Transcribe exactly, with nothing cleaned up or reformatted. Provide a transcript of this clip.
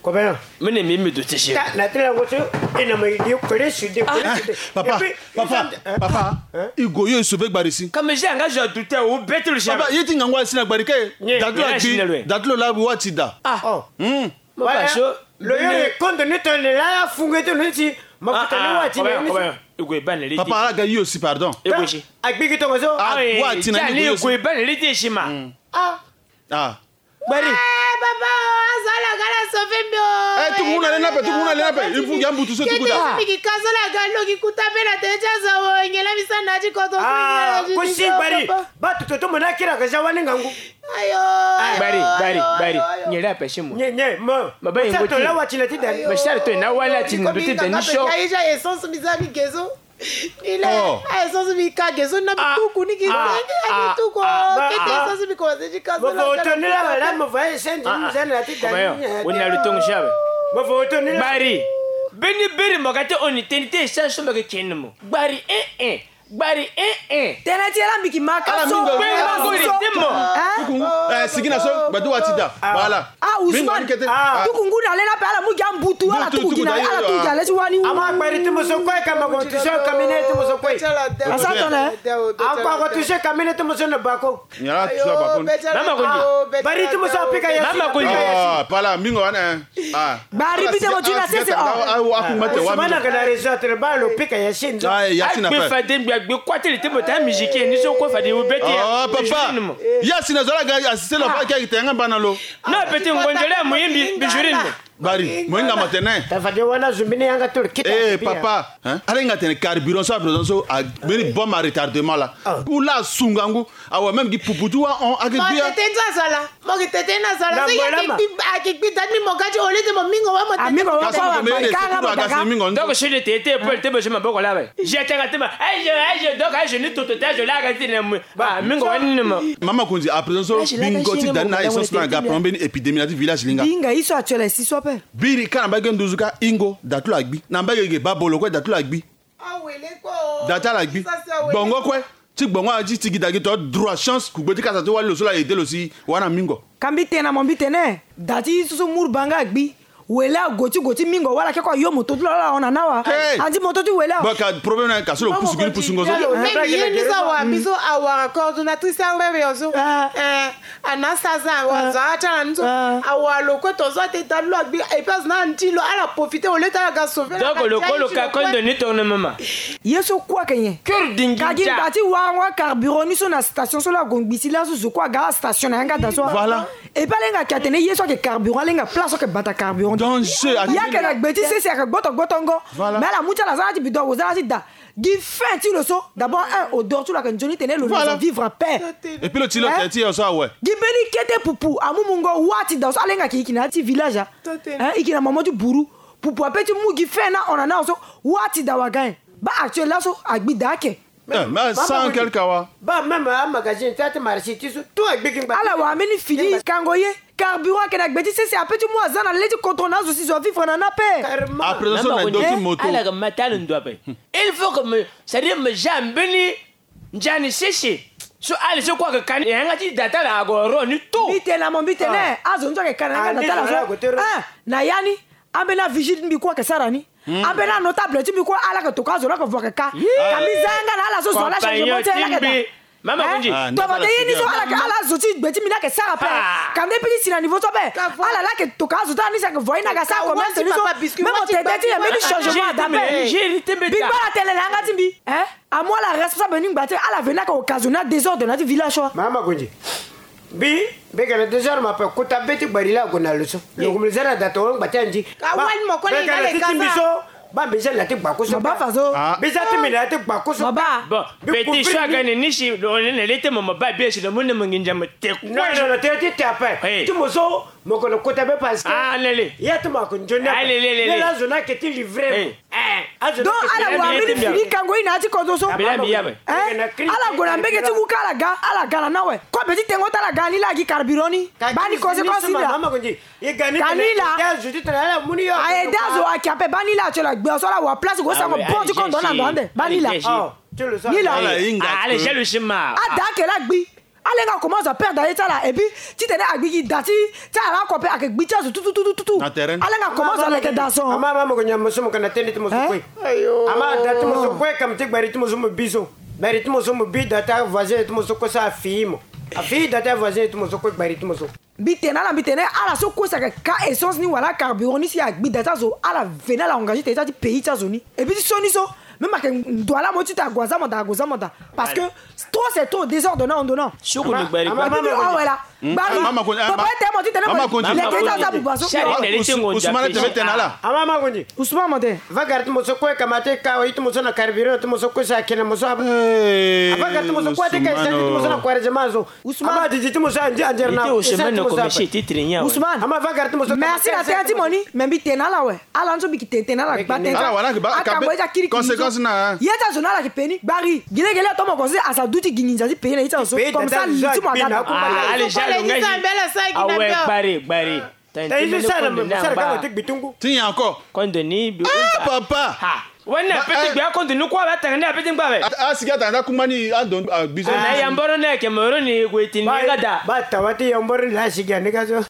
Copain. Mene mi mi doute si. Ta na tela ngo so. E na ma idi kole sude kole sude. Papa, papa, papa. I go yo e sauver Gbari si. Comme j'ai engagé à douter ou bête le chien. Papa, yeti ngango asi na Gbari ke. Datu la bi, datu la wa ti da. Ah. Hmm. Mo ba so. Lo yo e kondo ni tone la fungo ti lo ni ti. Mafuta ni wa ti ni. I go e bane le ti. Papa, ala ga yo si, pardon. E go si. A gbigi tongo so. Ah, wa ti na ni go yo si. I go e bane le ti si ma. Ah. Ah. Gbari. Eh, papa, azo ala ga ala sauver mbi o. Eh, tuku muna lena pe, tuku muna lena pe. Il faut ya mbutu so tuku da. Kete si mbi ki ka so la ga lo ki kuta pe na tene ti azo wo, ngela mi sa na ti koto. Ah, ko si Gbari. Ba tutu to mona kira ka ja wani ngangu. Ayo. Gbari, Gbari, Gbari. Ngela pe si mo. Nye, nye, mo. Ma ba yengo ti. Sa to la wa ti na ti dani. Ma sa to na wa la ti ndo ti dani so. Ayo, essence mi za mi gezo. Ni le, oh, a essence mi ka ge so na mi tuku ni ki senge, a mi tuku, ah, kete essence mi commencé ti ka so na. Mo vo to ni la wala, mo vo essence ni zana na ti dani. Woni na lo tongo si awe. Mo vo to ni la. Gbari. Beni beri mo ga ti hon ni tene ti essence so mo ga ti ni mo. Gbari, eh, eh. Gbari, eh, eh. Tene ti ala mbi ki ma ka so. Ala mingo. Gbari, gbari, ti mo. Hein? Tuku ngu, eh, sigi na so, gbadu wa ti da. Voilà. Ah, Ousmane. Tuku ngu na le na pe ala mu gi ambutu, ala tuku gi na, ala tuku gi na le ti wani. Ama Gbari ti mo so kue ka ma ko touché cabinet ti mo so kue. Asa tone. Akua ko touché cabinet ti mo so na bako. Nyara touché bako. Mama Konji. Gbari ti mo so apika ya. Mama Konji. Ah, pala mingo wana. Ah. Gbari bi ti mo ti na sese. Ah, Ousmane ka na réseau atre ba lo pika ya sini. Ah, ya sini. Agbe fade ngbi agbe kua ti li ti mo ta musique ni so kue fade wo beti. Oh, papa. Ya sini zo la ga assisté lo pa ke te nga bana lo. Non, petit, ngonzele ya moyimbi, bijurine. Bari, mo hinga mo tene. Ta fade wana zumbi ni yanga tolo kita. Eh, papa, hein? Ala hinga tene carburant so, à présent so, a beni bombe à retardement la. Pour la sungangu, awa même gi pupu ti wa on, a gi bia. Mo tete nza sala. Mo gi tete na sala. So ya ki gbi, a ki gbi dani mo gadi olite mo mingo wa mo tete. Mingo wa kasi mo tete. Kasi mingo. Donc, je le tete, pour le tete, je me boko la. J'ai tanga tema. Aïe, aïe, donc, aïe, je ni toto, je la gadi ne. Ah, mingo wani ni mo. Mama Konzi, à présent so, bingo ti dani na essence na ga, problème ni épidémie na ti village linga. Binga, iso actuel, si so pe. Biri, ka na mbage nduzu ka ingo, datu la gbi. Na mbage ge babolo kue, datu la gbi. Datu la gbi. Gbongo kue. Ti gbongo a ti tigi dagi to droit chance, ku gbe ti kasa ti wali lo so la aidé lo si, wana mingo. Ka mbi tene na mo mbi tene, da ti so so mur banga gbi. Wele ago ti go ti mingo wala ke ko ayo moto ti lo ala hon na na wa. Hey. Andi moto ti wele awa. Ba ka problème na ka so lo pusu gini pusu ngo so. Même ye ni so awa, mbi so awara coordonnatrice awere yo so. Eh, ana sa za awa za ata na ni so. Awa lo kue to so ate da lo agbi, et puis na nti lo ala profiter au lieu ti ala ga sauver. Donc lo ko lo ka kondo ni tourne mama. Ye so kue ake nyen. Cœur dingi. Ka gi ngba ti warango carburant ni so na station so la go ngbi si la so zo kue aga ala station na yanga da so. Voilà. Et puis ala hinga ke atene ye so ayeke carburant, ala hinga place so ayeke bata carburant. Danger. Ye ayeke na gbe ti sese ayeke gboto gbotongo. Voilà. Mais ala mu ti ala za na ti bidon awo za na ti da. Gi fin ti lo so. D'abord un, odeur ti lo ayeke nzoni tene lo, voilà, vivre en paix. Et puis lo ti lo tene ti yo so awe. Gi mbeni kete pupu amu mungo wa ti da so ala hinga ke i yeke na ya ti village a. Hein, i yeke na mama ti buru. Pupu ape ti mu gi fin na hon na na so. Wa ti da waga nyen. Ba actuel laso agbi da ake. Eh, mais sans quel kawa. Ba même a magazine ti ate marché ti so tout agbi gi ngba. Ala wara mbeni fini kango ye. Carburant ayeke na gbe ti sese ape ti mu aza na le ti contrôle na azo si zo avivre na ni ape. Carrément. Après so na ndo ti moto. Ala ga ma ti ala ndo ape. Il faut que me, c'est-à-dire me ja mbeni nzani sese. So ala so kue ayeke ka ni yanga ti da ti ala ague ro ni tout. Mbi tene na mo mbi tene. Azo ni so ayeke ka na yanga da ti ala so. Ah, na ya ni. Ambeni avigile ti mbi kue ayeke sara ni. Ambeni anotable ti mbi kue ala yeke toka azo la yeke vo ayeke ka. Ka mbi za yanga na ala so zo ala changement ti ala yeke da. Mama Konji. Tongana ye ni so ala yeke, ala zo ti gbe ti mbi ni ayeke sara ape. Ka mbi piki si na niveau so ape. Ala la yeke toka azo ti ala ni si ayeke vo aye ni aga sara commerce ni so. Même otete ti e mbeni changement ada ape. Bingba ala tene na yanga ti mbi. Amu ala responsable ni ngba ti ala veni ayeke occasionner désordre na ya ti village so. Mama Konji. Mbi, mbi yeke na désordre ma ape, kota be ti gbari la ague na lo so. Lo gue mbi za na da tongo ngba ti andi. Ka wali mo koli ngba le ka sa. Ba mbi za na ti gbaku so. Ba fa so. Mbi za ti mbi na ya ti gbaku so. Ba. Bon, petit so aga ni ni si lo ne le ti mo mo ba bia si lo mu ne mo nginza mo te kue. Non, non, non, te ti te ape. Ti mo so mo kono kota be parce que. Ah, lele. Ya ti mo ako nzoni ape. Ah, lele, lele. Lele azo na ke ti livrer. Eh, donc ala wara mbeni fini kango ye na ya ti kozo so. Ala gue na mbege ti wuka ala ga, ala ga na na awe. Kobe ti tengo ti ala ga ni la agi carburant ni. Ba ni koze ko si la. Ka ni la. Aye da zo ayeke ape ba ni la atio la gbe so ala wara place go sango bon ti kondo na ndo ande. Ba ni la. Ni la. Ala jalousie ma. Ada ake la gbi. Alenga akomanse aperdre aye ti ala, et puis titene agbi gi da ti ti ala oko ape ayeke gbi ti azo tututututu. Alenga akomanse aleke da so. Ama ama moko nyama so moko na tënë ti mo so kue. Ama da ti mo so kue kam ti gbari ti mo so mo bi so. Gbari ti mo so mo bi da ti avoisin ti mo so kue so afii mo. Afii da ti avoisin ti mo so kue gbari ti mo so. Mbi tene na ala, mbi tene ala so kue si ayeke ka essence ni wala carburant ni si agbi da ti azo, ala veni ala engagé tene ti pays ti azo ni. Et puis ti so ni so même ayeke ndo ala mo ti tene ague aza mo da, ague aza mo da. Parce que trop c'est trop, désordre na ndo na. Soko ni gbari gbari. Awe la. Gbari. Papa ete mo ti tene mo leke ti aza buba so. Ousmane ete mo tene ala. Ama ama kondi. Ousmane mo tene. Va gari ti mo so kue kamate ka wa ti mo so na carburant ti mo so kue si ayeke na mo so. Ava gari ti mo so kue ate ka essence ti mo so na Kwaresma so. Ousmane. Ama didi ti mo so andi andiere na essence ti mo so. Ousmane. Ama va gari ti mo so. Merci na tënë ti mo ni. Mais mbi tene na ala awe. Ala ni so mbi yeke tene tene na ala gba tënë. Ala wala yeke ba. Akango ye ti akiri kini so. Conséquence na. Ye ti azo na ala yeke pe ni gbari. Gilegele ato mo considéré aza du ti gi nginza ti pays na ye ti azo so. Comme ça li ti mo aga na. Awe gbari gbari. Ti nyen encore? Kondo ni. Ah papa. Wani na pete gbe akondo ni kua ba tanga ni apete ngba be. Asigi atanga kuma ni ando agbizo. Na yamboro na yeke moro ni gue ti ni ga da. Ba tawa ti yamboro ni la sigi ande ga so.